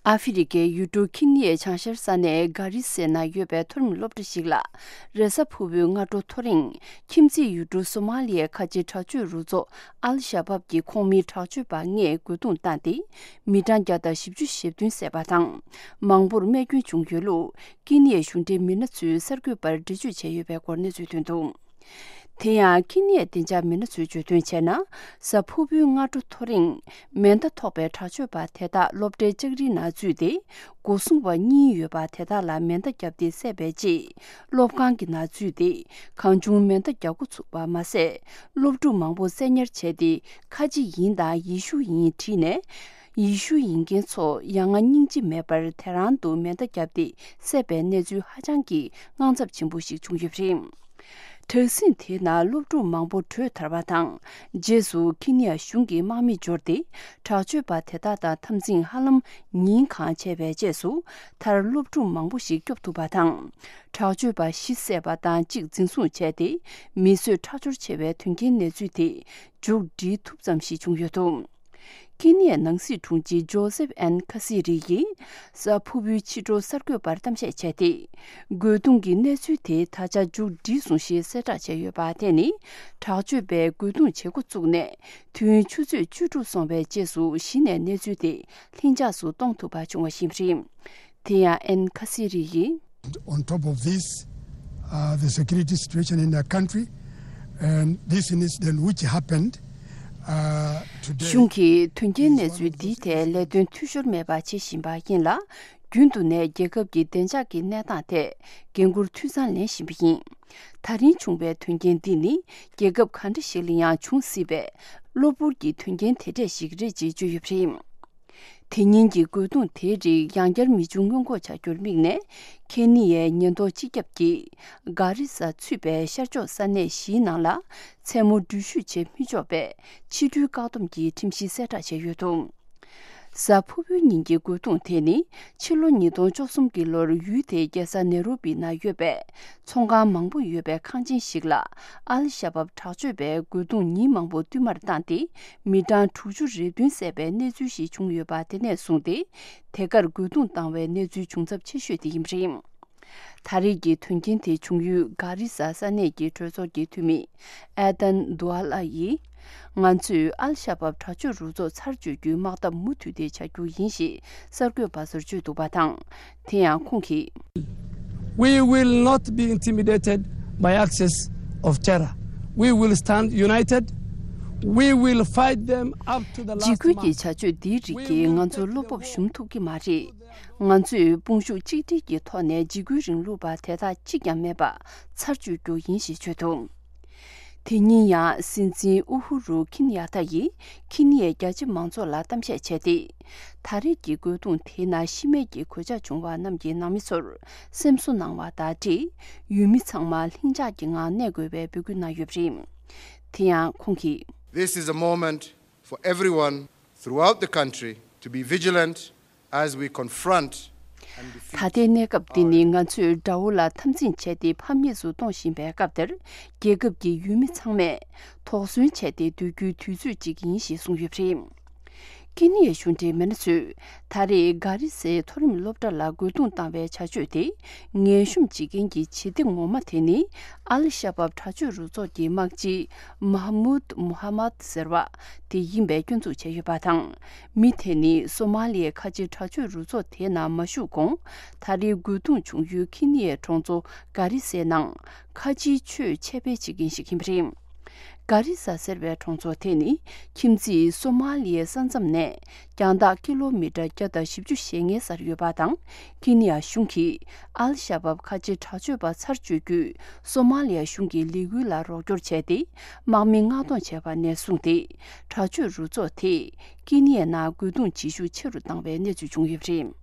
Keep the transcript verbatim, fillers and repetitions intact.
ཨ་ཧྥེ་རི་ཁའི་ཡུལ་གྲུ་ཁི་ནི་ཡའི་བྱང་ཤར་ས་གནས་གྷ་རི་སའི་ནང་ཡོད་པའི་མཐོ་རིམ་སློབ་གྲྭ་ཞིག་ལ། རེས་གཟའ་ཕུར་བུའི་སྔ་དྲོ་ཐོ་རེངས། ཁྱིམ་མཚེས་ཡུལ་གྲུ་སོ་མ་ལི་ཡའི་ཁ་ཆེའི་དྲག་སྤྱོད་རུ་ཚོགས་ཨལ་ཤ་བབ་ཀྱི་ཁོངས་མི་དྲག་སྤྱོད་པ་ལྔས་རྒོལ་རྡུང་བཏང་སྟེ། མི་གྲངས་བརྒྱ་དང་བཞི་བཅུ་ཞེ་བདུན་བསད་པ་དང་། མང་པོར་རྨས་སྐྱོན་བྱུང་ཡོད་ལུགས། ཀེ་ནི་ཡའི་གཞུང་འབྲེལ་མི་སྣ་ཚོས་གསར་འགོད་པར་འགྲེལ་བརྗོད་བྱས་ཡོད་པའི་སྐོར་གནས་ཚུལ་ཐོན་འདུག། དེ་ཡང་ཁེ་ནི་ཡའི་བདེ་འཇགས་མི་སྣ་ཚོས་བརྗོད་དོན་བྱས་ན། གཟའ་ཕུར་བུའི་སྔ་དྲོ་ཐོ་རེངས། མེ་མདའ་ཐོགས་པའི་དྲག་སྤྱོད་པ་དེ་དག་སློབ་གྲྭའི་ལྕགས་རིའི་ནང་འཛུལ་ཏེ། སྒོ་སྲུང་བ་གཉིས་ཡོད་པ་དེ་དག་ལ་མེ་མདའ་བརྒྱབ་སྟེ་བསད་པའི་རྗེས། སློབ་ཁང་གི་ནང་འཛུལ་ཏེ། གང་བྱུང་མེ་མདའ་རྒྱག་འགོ་ཚུགས་པ་མ་ཟད། སློབ་ཕྲུག་མང་པོ་བསད་ཉར་བྱས་ཏེ། ཁ་ཆེ་ཡིན་དང་ཡེ་ཤུ་ཡིན་བྲིས་ནས། ཡེ་ཤུ་ཡིན་མཁན་ཚོ་ཡ་ང་སྙིང་རྗེ་མེད་པར་དེ་རང་དུ་མེ་མདའ་བརྒྱབ་སྟེ་བསད་པའི་གནས་ཚུལ་ཧ་ཅང་གི་དངངས་འཚབ་ཆེན་པོ་ཞིག་བྱུང་ཡོད་པ་རེད། དྲག་ཟིང་དེའི་ནང་སློབ་ཕྲུག་མང་པོ་བྲོས་ཐར་བ་དང་། རྗེས་སུ་ཁེ་ནི་ཡ་གཞུང་གིས་དམག་མི་འབྱོར་ཏེ། དྲག་སྤྱོད་པ་དེ་དག་དང་འཐབ་འཛིང་ཧ་ལམ་ཉིན་གང་བྱས་པའི་རྗེས་སུ། མཐར་སློབ་ཕྲུག་མང་པོ་ཞིག་སྐྱོབ་ཐུབ་པ་དང་། དྲག་སྤྱོད་པ་བཞི་བསད་པ་དང་གཅིག་འཛིན་བཟུང་བྱས་ཏེ། མི་གསོད་ཁྲག་སྦྱོར་ཆེ་བའི་དོན་རྐྱེན་གནས་ཚུལ་དེ། མཇུག་སྒྲིལ་ཐུབ་ཙམ་ཞིག་བྱུང་ཡོད་འདུག། ཁེ་ནི་ཡའི་ནང་སྲིད་དྲུང་ཆེ་ཇོ་སེབ་ཨན་ཁ་སི་རི་ཡིས་གཟའ་ཕུར་བུའི་ཕྱི་དྲོ་གསར་འགོད་པར་གཏམ་བཤད་བྱས་ཏེ། རྒོལ་རྡུང་གི་གནས་ཚུལ་དེ་ད་ཆ་མཇུག་བསྒྲིལ་སོང་ཞེས་གསལ་བསྒྲགས་བྱས་ཡོད་པ་དེ་ནི། དྲག་སྤྱོད་པས་རྒོལ་རྡུང་བྱེད་འགོ་བཙུགས་ནས། དུས་ཡུན་ཆུ་ཚོད་བཅུ་དྲུག་སོང་བའི་རྗེས་སུ་གཞི་ནས་གནས་ཚུལ་དེ་ལྷིང་འཇགས་སུ་གཏོང་ཐུབ་པ་བྱུང་བ་ཞིག་རེད། དེ་ཡང་ཨན་ཁ་སི་རི་ཡིས། On top of this, uh, the security situation in the country, and this incident which happened, uh, today. གཞུང་གིས་དོན་རྐྱེན་གནས་ཚུལ་འདིའི་ཐད་ལས་དོན་འཐུས་ཤོར་མེད་པ་བྱེད་བཞིན་པ་ཡིན་ལ། རྒྱུན་དུ་ནས་རྒྱལ་ཁབ་ཀྱི་བདེ་འཇགས་ཀྱི་གནས་སྟངས་ཐད་འགན་འཁུར་འཐུས་ཚང་ལེན་བཞིན་པ་ཡིན། ད་རིང་བྱུང་བའི་དོན་རྐྱེན་འདི་ནི་རྒྱལ་ཁབ་ག་འདྲ་ཞིག་ལ་ཡང་འབྱུང་སྲིད་པའི་གློ་བུར་གྱི་དོན་རྐྱེན་དེ་འདྲས་ཤིག་རེད་ཅེས་བརྗོད་ཡོད་པ་རེད། དེ་ཉིན་གྱི་རྒོལ་རྡུང་དེའི་རིགས་ཡང་བསྐྱར་མི་འབྱུང་སྔོན་འགོག་བྱ་རྒྱུར་དམིགས་ནས། ཁེ་ནི་ཡའི་ཉེན་རྟོག་སྤྱི་ཁྱབ་ཀྱིས་གྷ་རི་ས་ཚུད་པའི་ཤར་ཕྱོགས་ས་གནས་བཞིའི་ནང་ལ་མཚན་མོ་འགྲུལ་བཞུད་བྱེད་མི་ཆོག་པའི་ཕྱི་འགྲུལ་བཀག་སྡོམ་གྱི་ཁྲིམས་གཞི་གསལ་བསྒྲགས་བྱས་ཡོད་འདུག། གཟའ་ཕུར་བུའི་ཉིན་གྱི་རྒོལ་རྡུང་དེ་ནི། ཕྱི་ལོ་ཉིས་སྟོང་བཅུ་གསུམ་གྱི་ལོར་ཡུལ་དེའི་རྒྱལ་ས་ནེ་རོ་པི་ནང་ཡོད་པའི་ཚོང་ཁང་མང་པོ་ཡོད་པའི་ཁང་ཆེན་ཞིག་ལ། ཨལ་ཤ་བབ་དྲག་སྤྱོད་པས་རྒོལ་རྡུང་ཉིན་མང་པོ་བསྟུད་མར་བཏང་སྟེ། མི་གྲངས་དྲུག་ཅུ་རེ་བདུན་བསད་པའི་གནས་ཚུལ་ཞིག་བྱུང་ཡོད་པ་དེ་ནས་བཟུང་སྟེ། དེ་གར་རྒོལ་རྡུང་བཏང་བའི་གནས་ཚུལ་བྱུང་ཚབས་ཆེ་ཤོས་དེ་ཡིན་པ་རེད། ད་རེས་ཀྱི་དོན་རྐྱེན་དེ་བྱུང་ཡུལ་གྷ་རི་ས་ས་གནས་ཀྱི་གྲོས་ཚོགས་ཀྱི་འཐུས་མི་ཨེ་ཏན་དུ་ཨ་ལ་ཡིས། ང་ཚོས་ཨལ་ཤ་བབ་དྲག་སྤྱོད་རུ་ཚོགས་ཚར་གཅོད་རྒྱུའི་དམག་འཐབ་མུ་མཐུད་དེ་བྱ་རྒྱུ་ཡིན་ཞེས་གསར་འགོད་པ་ཚོར་བརྗོད་འདུག་པ་དང་། དེ་ཡང་ཁོང་གིས། We will not be intimidated by access of terror. We will stand united. We will fight them up to the last man. འཇིགས་སྐུལ་གྱི་བྱ་སྤྱོད་འདིའི་རིགས་ཀྱིས་ང་ཚོར་བློ་སྤོབས་ཞུམ་ཐུབ་ཀྱི་མ་རེད། ང་ཚོས་དཔུང་ཤུགས་གཅིག་སྒྲིལ་གྱི་ཐོག་ནས་འཇིགས་སྐུལ་རིང་ལུགས་པ་དེ་དག་གཅིག་ཀྱང་མེད་པ་ཚར་གཅོད་རྒྱུ་ཡིན་ཞེས་བརྗོད་འདུག། དེ་ཉིན་ཡང་སྲིད་འཛིན་ཨུ་ཧུ་རུ་ཁིན་ཡ་ཐ་ཡིས་ཁེ་ནི་ཡའི་རྒྱ་ཆེ་མང་ཚོགས་ལ་གཏམ་བཤད་བྱས་ཏེ། ད་རེས་ཀྱི་རྒོལ་རྡུང་དེའི་ནང་ཤི་རྨས་ཀྱི་གོད་ཆག་བྱུང་བ་རྣམས་ཀྱི་ནང་མི་ཚོར་སེམས་གསོ་གནང་བ་དང་འབྲེལ། ཡུལ་མི་ཚང་མ་ལྷིང་འཇགས་ཀྱི་ངང་གནས་དགོས་པའི་འབོད་སྐུལ་གནང་ཡོད་པ་རེད། དེ་ཡང་ཁོང་གིས། This is a moment for everyone throughout the country to be vigilant as we confront and defeat ད་ལྟའི་གནས་སྐབས་འདི་ནི་ང་ཚོས་དགྲ་བོ་ལ་འཐབ་འཛིང་བྱས་ཏེ་ཕམ་ཉེས་སུ་གཏོང་བཞིན་པའི་སྐབས་འདིར། རྒྱལ་ཁབ་ཀྱི་ཡུལ་མི་ཚང་མས་དོགས་ཟོན་བྱས་ཏེ་སྡོད་རྒྱུའི་དུས་ཚོད་ཅིག་ཡིན་ཞེས་གསུངས་ཡོད་པ་རེད། ཀེ་ནི་ཡའི་གཞུང་འབྲེལ་མི་སྣ་ཚོས་ད་རེས་གྷ་རི་སའི་མཐོ་རིམ་སློབ་གྲྭ་ལ་རྒོལ་རྡུང་བཏང་བའི་བྱ་སྤྱོད་དེ། ངན་གཤོམ་བྱེད་མཁན་གྱི་བྱེད་གཏེ་ངོ་མ་དེ་ནི། ཨལ་ཤ་བབ་དྲག་སྤྱོད་རུ་ཚོགས་ཀྱི་དམག་སྤྱི་མ་ཧ་མུད་མུ་ཧ་མད་ཟེར་བ་དེ་ཡིན་པའི་སྐྱོན་འཛུགས་བྱས་ཡོད་པ་དང་། མི་དེ་ནི་སོ་མ་ལི་ཡའི་ཁ་ཆེ་དྲག་སྤྱོད་རུ་ཚོགས་དེའི་ནང་མ་ཞུགས་གོང་། ད་རེས་རྒོལ་རྡུང་བྱུང་ཡུལ་ཁེ་ནི་ཡའི་གྲོང་ཚོ་གྷ་རི་སའི་ནང་། ཁ་ཆེའི་ཆོས་འཆད་སྤེལ་བྱེད་མཁན་ཞིག་ཡིན་པ་རེད། གྷ་རི་ས་ཟེར་བའི་གྲོང་ཚོ་དེ་ནི་ཁྱིམ་མཚེས་སོ་མ་ལི་ཡའི་ས་མཚམས་ནས་རྒྱང་ཐག་ཀི་ལོ་མི་ཊར་བརྒྱ་དང་བཞི་བཅུ་ཞེ་ལྔའི་སར་ཡོད་པ་དང་། ཁེ་ནི་ཡ་གཞུང་གིས་ཨལ་ཤ་བབ་ཁ་ཆེ་དྲག་སྤྱོད་པ་ཚར་གཅོད་རྒྱུའི་སོ་མ་ལི་ཡ་གཞུང་གི་ལས་འགུལ་ལ་རོགས་སྐྱོར་བྱས་ཏེ། དམག་མི་མངགས་གཏོང་བྱས་པ་ནས་བཟུང་སྟེ། དྲག་སྤྱོད་རུ་ཚོགས་དེས་ཀེ་ནི་ཡའི་ནང་རྒོལ་རྡུང་བྱེད་ཤུགས་ཆེ་རུ་བཏང་བའི་གནས་ཚུལ་བྱུང་ཡོད་པ་རེད།